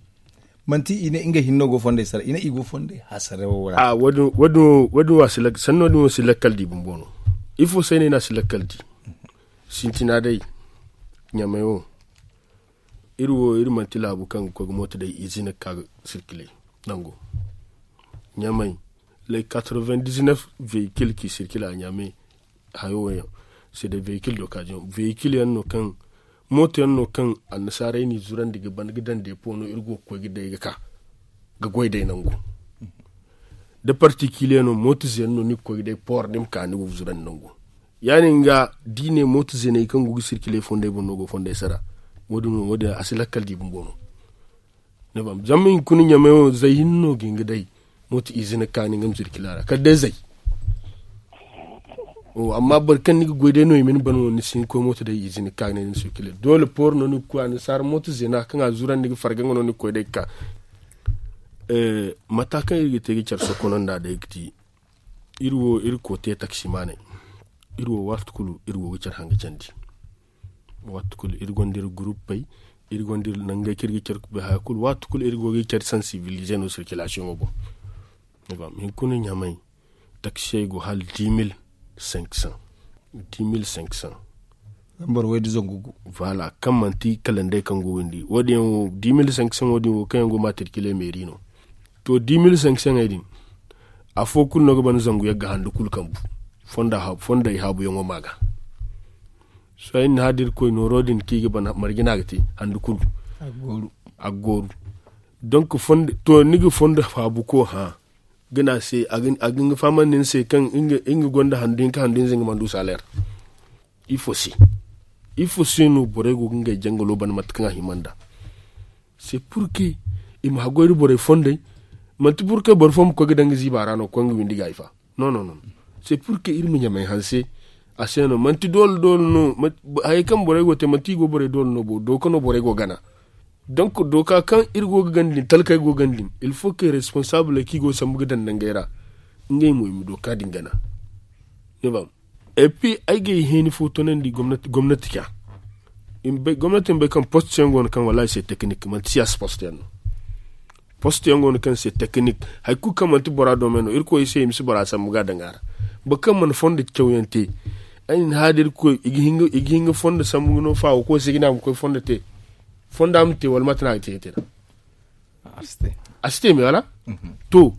Manti i ne ngey hinne no go fondey sara i ne i go fondey hasara wo ra. Wo- din wo- sanno din wo si lakkal di bumbo no. Ifo se no i ne a si lakkal di? Sintina day ɲamey wo iri wo iri manti laabu kaŋ ga koy ga mooto day izina ga ka ga sirkile. Nango ɲamey lay quatre-vingt-dix-neuf véhicule kaŋ i sirkile a ɲamey. Hayo wo yaŋ se day véhicule do kaajiyaŋ véhicule yaŋ no kaŋ mooto yaŋ no kaŋ annasaarey n'i zurandi ga ban ga daŋ deepo no iri go ga koy ga day ga ka ga goy day nangu. Da partikiliye no mooto zeene no ni ga koy ga day poor ni ma ka ni go ga zurandi nangu. Ya- din ga da i ne mooto zeeney kaŋ go ga sirkile fondey boŋ no go fondey sara. Wo- din a si lakkal di bumbo no. Zama hunkuna ɲamey wo zay hinne no ga hin ga day mooto izina kaani nga ma sirkila ra kala day zay. Amma boro kaŋ ni ga goy day no i ma ni ban no ni si hin ga koy mooto day ize ni ga ka ga ne ni sirkile doole pooro no ni ga koy annasaara mooto zeena kaŋ a zurandi ga farga nga no ni ga koy day ga ka. Mata kaŋ iri ga te ga care sokono nd'a day ga ti iri wo iri ga koy te taksimaaney. Iri wo waati kulu iri go ga care hanga candi. Waati kulu iri gonda iri guruppey, iri gonda iri nangey kaŋ iri ga care ga bay haya kulu waati kulu iri go ga iri care sansibilize no sirkilasiyoŋo boŋ. Hinkuna ɲamay taksiyey go hala dix mille cinq cents. Dix mille cinq cents. Boro way da zangu gu. Voilà kaŋ manti kalandey kaŋ go windi wo- din yaŋ wo dix mille cinq cents wo- din wo kaŋ yaŋ go matrikile meeri no. To dix mille cinq cents ey din afo kulu no ga ban zangu yagga handu kulu kambu. Fonda haabu yaŋo ma ga. Sohõ ay na ni hã da irkoy nooro din kaŋ i ga ban marje no a ga te handu kulu. A ga gooru. Donk to ni ga fondo faabuko hã ga ne a se a ga hin ga fahamandi ni se kaŋ nga gonda handu hinka handu hinza nga mana du saleer. Ifo se ifo se no borey go ga ngey jangalo ban mate kaŋ a hima nd'a? Se purke i ma haggoy nda borey fondey. Manti purke boro fo ma koy ga daŋ ga ziiba ra no ga koy nga windi ga ay fa. Non non non. Se purke iri ma ɲamay hanse. A se no manti doole doole no. Hayey kaŋ borey go ga te manti i go borey doole no bo dooka no borey go ga gana. Donk dooka kaŋ iri go ga gana din talkey go ga gana din ilfo kay responsaabuley kaŋ i go ga sambu ga daŋ nangey ra. Ngey mo i ma dooka din gana. Ni faham? Epi ay ga ay heeni fo tonandi gomnati ga. Gomnati ma bay kaŋ post yaŋ go no kaŋ wallaahi se tekinik manti siyaasa post yaŋ no. Post yaŋ go no kaŋ se tekinik hari kulu kaŋ manti bora doome no irkoy se i ma si bora sambu ga a daŋ a ra. Boro kaŋ mana fondo cawyaŋ te ay na ni hã da irkoy i ga hin ga fondo sambu no faawo koy se ga ne a ma koy fondo te. Fonda ma te wala mate no a ga te ga te nd'a? A si te me wala? To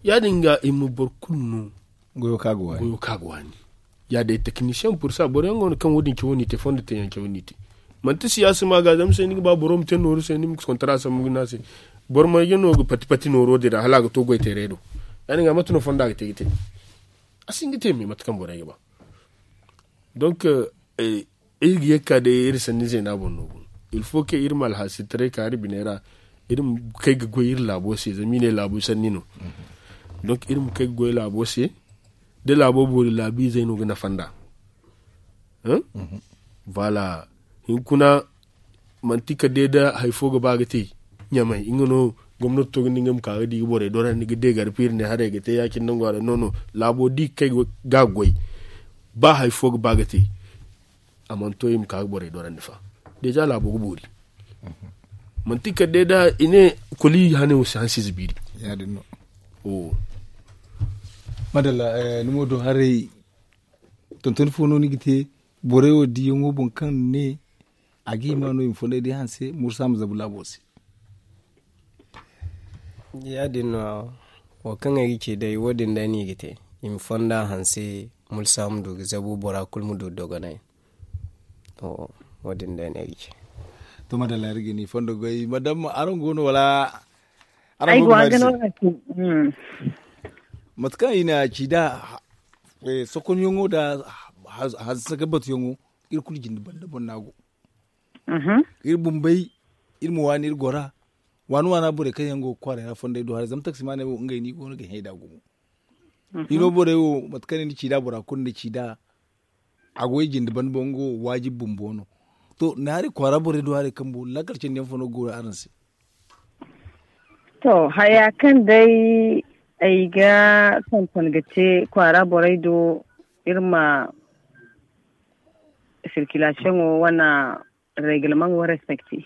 ya- din ga i ma boro kulu no goyo kaŋ a ga waani. Ya day tekinisiyaŋ pursa boro yaŋ go no kaŋ wo- din cawo no i te fondo teeyaŋ cawo no i te. Manti siyaasa ma ga zama se ni ga ba boro ma te nooru se ni ma kontara sambu ga ne a se. Boro marje no ga pati pati nooro din ra hala a ga to goy teeray do. Ya- din ga mate no fonda ga te ga te? A si hin ga te me mate kaŋ borey ga ba. Donk iri ga ye ga ka day iri sanni zeena boŋ no. Ilfo kaŋ iri ma alhaasitaray ka iri biney ra. Iri ma kay ga goy iri laabo se zama i ne laabo sanni no. Donk iri ma kay ga goy laabo se. Da laabo boori laabiizey no ga nafa nd'a. Voilà. Hinkuna manti kala day da hari fo ga ba ga te ɲamay nga no gomnati to ga ne nga ma ka ga di ga borey dorandi ga deegar piiri ne haray ga te ya- cine nangu haray no no. Laabo da i ga kay ga a goy ba hari fo ga ba ga te. A mana to i ma ka ga borey dorandi fa. Deeza laabo ga boori. Manti kala day da i ne koli hane wo si hansi zibiiri. Ya- din no. Madalla. Ni mo do haray tontoni fo no ni ga te borey wo diyaŋo boŋ kaŋ ne a ga hima no i ma fonday day hanse mursa ma zabu laabo se. Ya- din no wo kaŋ ay ga ci day wo- din day no i ga te i ma fonda hanse mursa ma du ga zabu bora kulu ma du dogonay. Wo- din day no ay ga ci. To madalla iri ga ni fondo goy madam araŋ go no wala? Araŋ go ga no mate kaŋ i na ci da sokonyaŋo nda hanse ga batuyaŋo iri kulu jinde banda boŋ no a go. Iri bumbey iri ma waani iri gora waani waana borey kaŋ yaŋ go ga kwaaray ra fondey do haray zama taksimaaney wo ngey no i go no ga hẽe nd'a gumo. Hino borey wo mate kaŋ ne ni ci nd'a bora kulu ni ci nd'a a go i jinde banda boŋ nga wo waajib bumbo no. To ni hari kwaara borey do haray kambo laakal cindi yaŋ fo no ga goori araŋ se? To haya kaŋ day ay ga tonton ga te kwaara borey do iri ma sirkilasiyoŋo wane reglement wo respecte.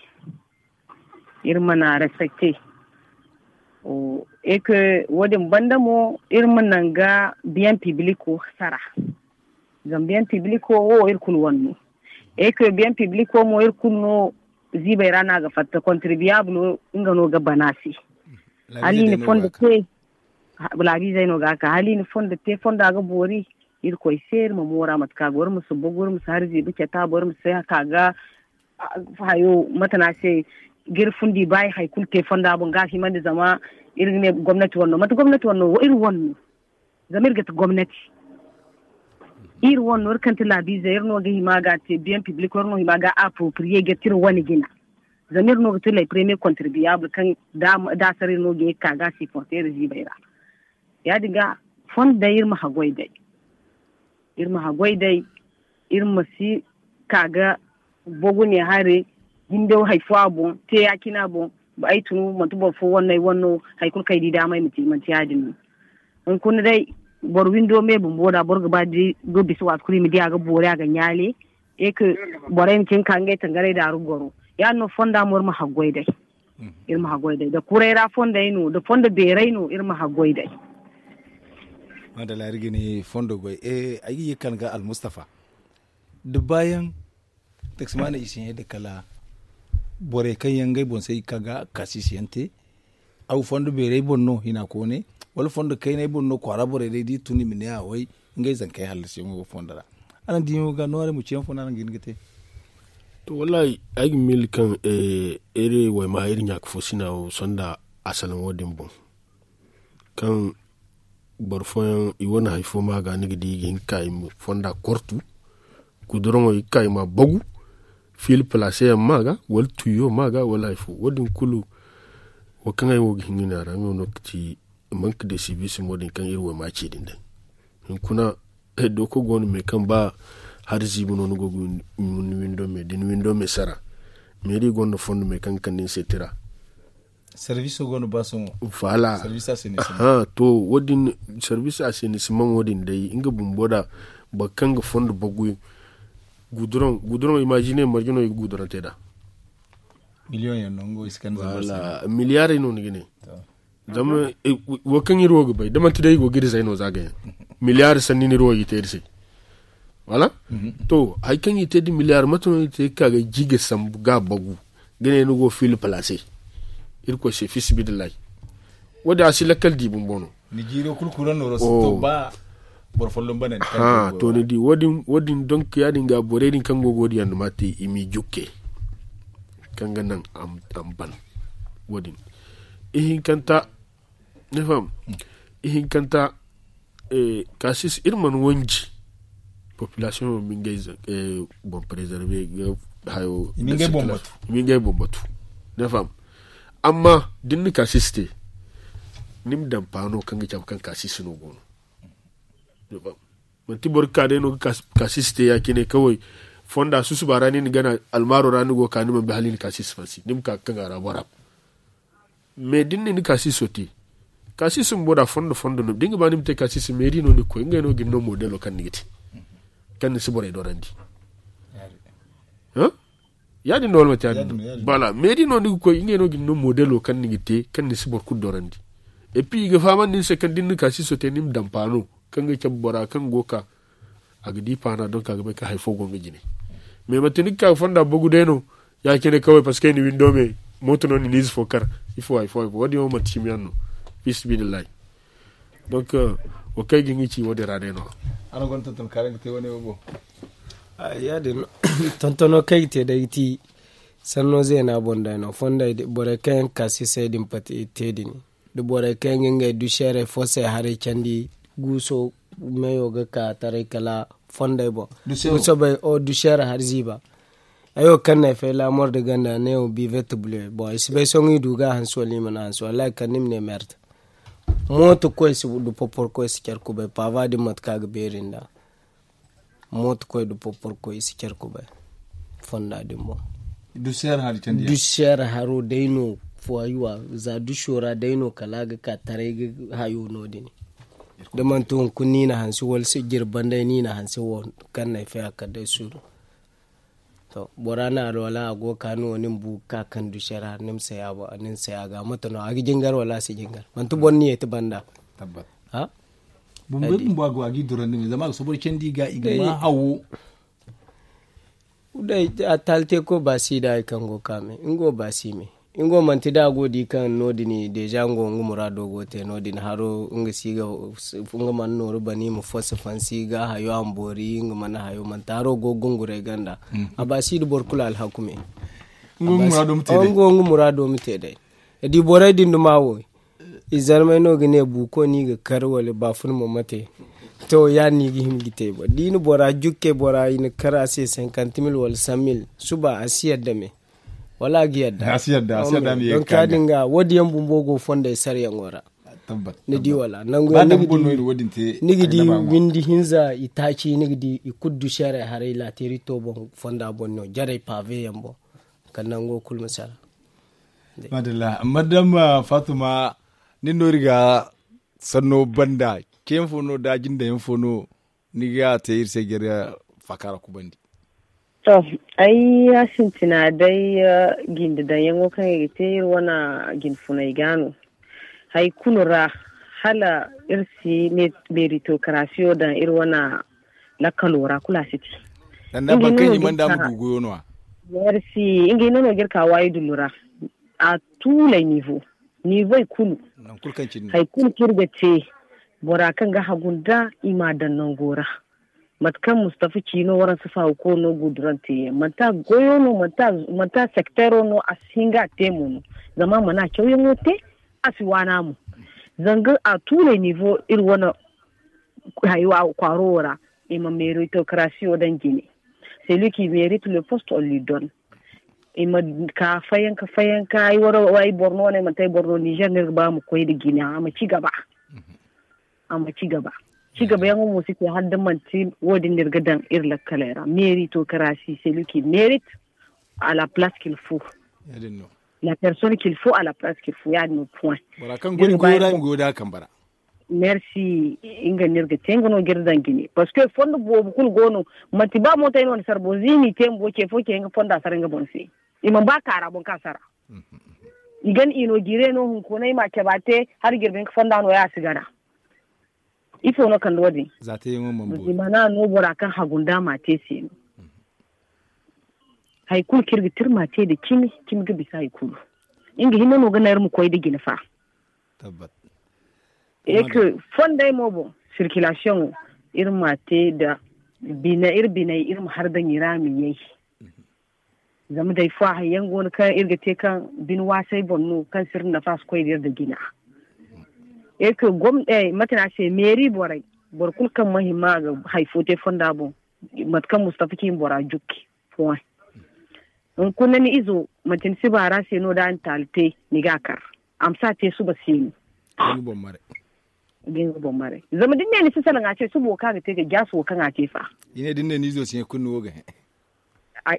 Iri mana respecte e ke wo- din banda mo iri ma nanga biyaŋ pibliko sara. Zama biyaŋ pibliko wo iri kulu wane no. E ke biyaŋ pibliko mo iri kulu no ziibay ra no a ga fatta kontribiyabulo nga no ga bana se. Hala i na fondo te laabiizey no ga a ka hala i na fondo te fondo a ga boori. Irkoy se iri ma moora mate kaŋ a go iri ma si bugu iri ma si hari ziibi cata boŋ iri ma si ka ga hayo mate no a se ga iri fundi ba i hari kulu te fonda boŋ ga a himandi zama iri ga ne gomnati wane no manti gomnati wane no iri wane no. Zama iri ga ti gomnati iri wane no iri kaŋ ti laabiizey iri no ga hima ga te biyaŋ pibliko iri no hima ga appropriye ga ti iri wane jina. Zama iri no ga ti ley premier kontribiyabul kaŋ da a sara iri no ga ye ga ka ga a siporte iri ziibay ra. Ya- din ga fondo day iri ma haggoy day. iri ma haggoy day, iri ma si ka ga bogu ne hare, jindo hari fo a boŋ te ya- cine a boŋ. Ay tun manti boro fo wane no ay wane no, hari kulu kaŋ ay di daama ay ma te manti ya- din no. Hunkuna day, boro windo me bumbo da boro ga ba ga bisa waati kulu i ma di a ga boori a ga ɲaale. E ka borey ma cin ka ngey tangarey daaru goro, ya- din no fonda mo iri ma haggoy day. Iri ma haggoy day da kuray ra fondey no da fondo beeray no iri ma haggoy day. Madalla iri ga ne fondo goy. Ay ga ye kan ga almustafa da baayaŋ taksimaana i si ɲay da kala borey kaŋ yaŋ ngey boŋ se i ga ka ga kaasiisi yaŋ te. Aw fondo beeray boŋ no hina koone, wala fondo kaynay boŋ no kwaara borey day da i tun i ma ne a way ngey zankey hallasiyaŋo ga fondo ra. Araŋ diyaŋo ga nooray ma ciyaŋ fo no araŋ ga hin ga te? To wallahi, ay ga miila kaŋ iri wayma iri ɲaaka fo sina wo sonda a salaŋo din boŋ. Kaŋ boro fooyaŋ i wane hari fo ma ga ni ga di i ga hin ka i ma fonda kortu, guduraŋo i ga ka i ma a bagu, fiili palaase yaŋ ma ga wala tuyo ma ga wala hari fo wo- din kulu. Wo kaŋ ay wo ga hin ga ne a ra nga no ga ti manka de sibiisi mo din kaŋ iri wo ma ci din day. Hunkuna dooko go no me kaŋ ba hari ziibi no ni go ga windo me da ni windo me sara, meeri gonda fondo me kaŋ ga kande ni se tira. Service go no ba sohõ. Voilà. Service a se ni si man. To wo- din service a se ni si man wo- din day nga bumbo da boro kaŋ ga fondo bagu. Guduraŋ guduraŋ imagine marje no i ga guduraŋ te nd'a. Million yaŋ no nga wo i si kande zama se. Milliarey no ni ga ne. Zama wo kaŋ iri wo ga bay da manti day i go ga iri zay no za ga yaŋ. Milliard sanni no iri wo i te iri se. Wala to hari kaŋ i te da milliard mate no i te ga ka ga ji ga sambu ga bagu ga ne ni go fiili palaase. Irkoy se fisibidillahi. Wo- din a si lakkal di bumbo no. Ni jiiro kulu kuraŋ nooro si to ba boro folloŋ banandi kaŋ to ni di wo- din donk ya- din ga borey din kaŋ go ga wo- din yaŋ duma te i m'i jukke. Kaŋ ga naŋ a ma ban wo- din ihinkanta. Ni faham? Ihinkanta. Kaasis iri mana wanji population ma ngey boŋ préserver ga hayo i ma ngey boŋ batu. Ni faham? Amma da ni na kaasis te ni ma daŋ paano kaŋ ga cabe kaŋ kaasis no go no. Manti boro ga ka day no ga kaasis te ya- cine kaway fonda susuba ra ni na gana almaaro ra ni go ga ka ni mana bay hala ni na kaasis fansi ni ma ka ga kaŋ a ra bora. Mais da ni na ni kaasiso te kaasiso bumbo da fondo fondo no da ni ga ba ni ma te kaasiso meeri no ni ga koy ngey no ga ni no modelo kaŋ ni ga te kaŋ ni si borey dorandi. Ya- din no wala manti ya- din no? Bala meeri no ni ga koy ngey no ga ni no modelo kaŋ ni ga te kaŋ ni si boro kulu dorandi. Et puis i ga fahamandi ni se kaŋ da ni na kaasiso te ni ma daŋ paano kaŋ ga cabe bora kaŋ go ga ka a ga di paana donk a ga bay kaŋ hari fo go nga jine. Mais manti ni ga ka ga fonda bagu day no ya- cine kaway parceque ni windo me mooto no ni na ize fo kar ifo hari fo hari fo wo- din wo manti cimi yaŋ no. Fisibidillahi. Donk wo kaŋ ay ga hin ga ci wo- din ra day no. Araŋ gonda tonton kaŋ araŋ ga te wane wo boŋ? Ya- din no tontono kaŋ ay ga te day ga ti sanno zeena boŋ day no fondey borey kaŋ yaŋ ga ka sisay din pati te din da borey kaŋ yaŋ ga ngey duseerey fosey haray candi guuso meyo ga ka taray kala fondey boŋ. Guuso bay o duseere hari ziiba. Ay wo kaŋ no ay fay laamor da ganda ne wo bivet bule boŋ ay si bay sohõ i du ga a hanse wala i mana hanse wallaahi kala ni ma ne merde. Mooto koy si du popor koy si care kubay paava din mate kaŋ a ga beeri nd'a. Mooto koy da popor koy i si care kubay fonda din boŋ. Duseer haro day no fuwayuwa za duso ra day no kala a ga ka taray ga hayo no- din. Da manti hunkuna ni na hanse wala si jirban day ni na hanse wo kaŋ no ay fay a kala day suuru. To bora na alwala a go ga ka ni wo ni ma bu ga ka kaŋ duseer haro ni ma saya ga mate no a ga jingar wala a si jingar manti boro ni ye ti banda. Bumbey bumbo a go a ga i dorandi me zama a ga soboro candi ga i ga ma hawo. Day a taali te koy ba si da hari kaŋ go ga ka me nga wo ba si me. Nga wo manti da a go di kaŋ no- din deja nga wo nga muraado go te no- din haro nga si ga nga mana nooru bana i ma fosi fansi ga hayo a ma boori nga mana hayo manti haro go ga gunguray ganda. A ba si da boro kulu alhaku me. Nga wo nga muraado ma te day. Da di borey din duma wo i zarmey no ga ne buuko no i ga kar wala baafuna mo mate. To ya- din no i ga hima ga te da i na bora jukke bora i na kar a se cinquante mille wala cent mille suba a si yadda me. Wala a ga yadda a si yadda a si yadda me. Donk ya- din ga wo- din yaŋ bumbo go fondey sarayaŋo ra. Ni di wala nangu yaŋ ni ga di windi hinza i taaci ni ga di i kulu du seeray haray laateeri to boŋ fonda boŋ no jarey paabe yaŋ boŋ. Kala nango kulu ma sara. Madalla madama faatuma, ni no iri ga sanno banda ceeyaŋ fo no da jinda yaŋ fo no ni ga te iri se jare faaka ra kubandi. To, ay ya sintina day, jinde daŋ yaŋo kaŋ i ga te iri wane jine funay ga no. Hari kulu ra hala iri si meritokrasiyo daŋ iri wane lakkalo ra kulu a si te. Sanda boro kaŋ i mana da a ma du goyo no- ya. Merci. Ngey no no ga iri ka waayi dullu ra. A tuulay nivo nivoy kulu. Hari kulu kaŋ iri ga te bora kaŋ ga hagu nda i m'a daŋ nango ra. Mate kaŋ mustafa ci no waransa faawo koy no gudurante yaŋ manti a goyo no manti a sektero no a si hin ga a te mo no. Zama a mana cawyaŋo te a si waana mo. Zanga a tuurey nivo iri wane hayo a kwaaro wo ra. I ma meritokrasiyo daŋ jine. Celui qui mérite le poste on lui donne. I ma ka fayanka fayanka ay wara ay boro no wane manti ay boro no nizer no iri ga ba ma koy nda jine a ma ci gaba. A ma ci gaba. Ci gaba yaŋo mo si te hala da manti wo- din no iri ga daŋ iri lakkaley ra meritokrasi celui qui mérite à la place qu'il faut. La personne qu'il faut à la place qu'il faut ya- din no point. Bora kaŋ goy goyo ra i ma goyo da a kambe ra. Merci. Nga no iri ga te nga no ga iri daŋ jine parce que fondo boobo kulu go no. Manti ba mootey no ni sara boro za i n'i te bumbo ce fo ce nga fonda sara nga boŋ se. I mana ba kaara boŋ ka sara. I gana i no jire no hunkuna i ma a cabe a te hala jirbi hinka fonda no ya a si gana. Ifo no kande wo- din? Za te yaŋo mana boori. Zimana no bora kaŋ hagu nda a ma te se no. Hari kulu kaŋ iri ga te iri ma te nda cimi cimi ga bisa hari kulu. Nga hinne no ga naŋ iri ma koy nda jine fa. Eke fondey mo boŋ sirkilasiyoŋo iri ma te nda bine iri biney iri ma har daŋ i ra ma yay. Zama day fo hari yaŋ go no kaŋ iri ga te kaŋ bine waasay boŋ no kaŋ si iri nafa si koy nda iri nda jina. Eke gomna mate no a se meeri borey boro kulu kaŋ ma hima a ga hari fo te fonda boŋ. Mate kaŋ mustafa ci ma bora jukki. Hunkuna ni izo manti ni si baara se no da a na taali te ni ga a kar. A ma si a te suba se no. Ga nga boŋ maray. Zama da ni ne ni si salaŋ a se suba wo kaŋ a ga te ga jaasi wo kaŋ a te fa? I ne da ni ne ni izo si hin kulu ni wo ga hin.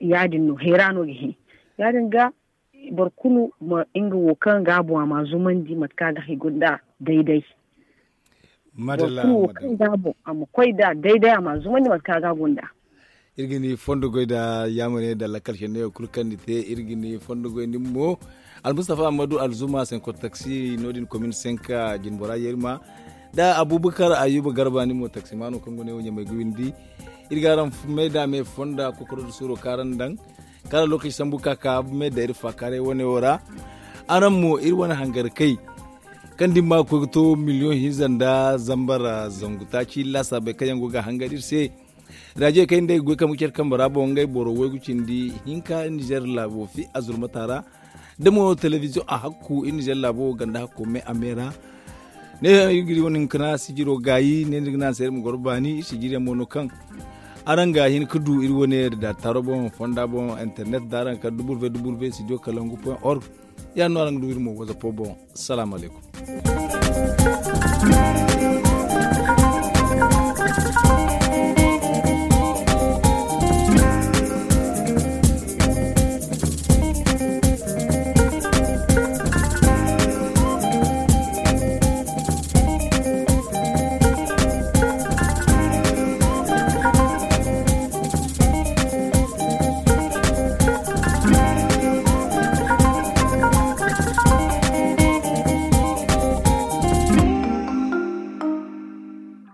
Ya- din no hayra no ga hin. Ya- din ga boro kulu ma nga wo kaŋ ga a boŋ a ma a zumandi mate kaŋ a ga hay gunda dayday. Madalla. Boro kulu wo kaŋ ga a boŋ a ma koy nda dayday a ma a zumandi mate kaŋ a ga a gunda. Iri ga ni fondo goy nda yaamar yaŋ nda lakkal senne wo kulu kaŋ ni te. Iri ga ni fondo goy nin mo. Almustafa ammadu alzuma senko taksi no- din komin senka jinbora yerma nda abubakar ayuba garba nin mo taksimaano kaŋ go ne wo ɲamay ga windi. Iri ga araŋ me nda me fonda kokoro nda suuro kaŋ araŋ daŋ kaŋ araŋ lokaci sambu ka ka me nda iri faakaaray wane wo ra. Araŋ mo iri wane hangar kay kaŋ da iri ma ga koy ga to miliyoŋ hinza nda zambar zangu taaci laasaabey kaŋ yaŋ go ga a hangan iri se. Raajey kaŋ iri nda ay ga goy kambe care kambe ra boŋ ngey boro waygu cindi hinka nizer laabo fi azurmata ra. Da mo telebiziyoŋ a hakku iri nizer laabo ganda hakko me a me ra. Ne iri ga iri wane hinkana sijiro gaayi ne ni ga ne a se iri ma goro baani iri sijiriyaŋ mo no kaŋ araŋ ga hin ga du iri wane da taaro boŋ fonda boŋ internet da araŋ ga kar www studio kalangu point org. Ya- din no araŋ ga du iri mo wazapo boŋ. Salaamu alaykum.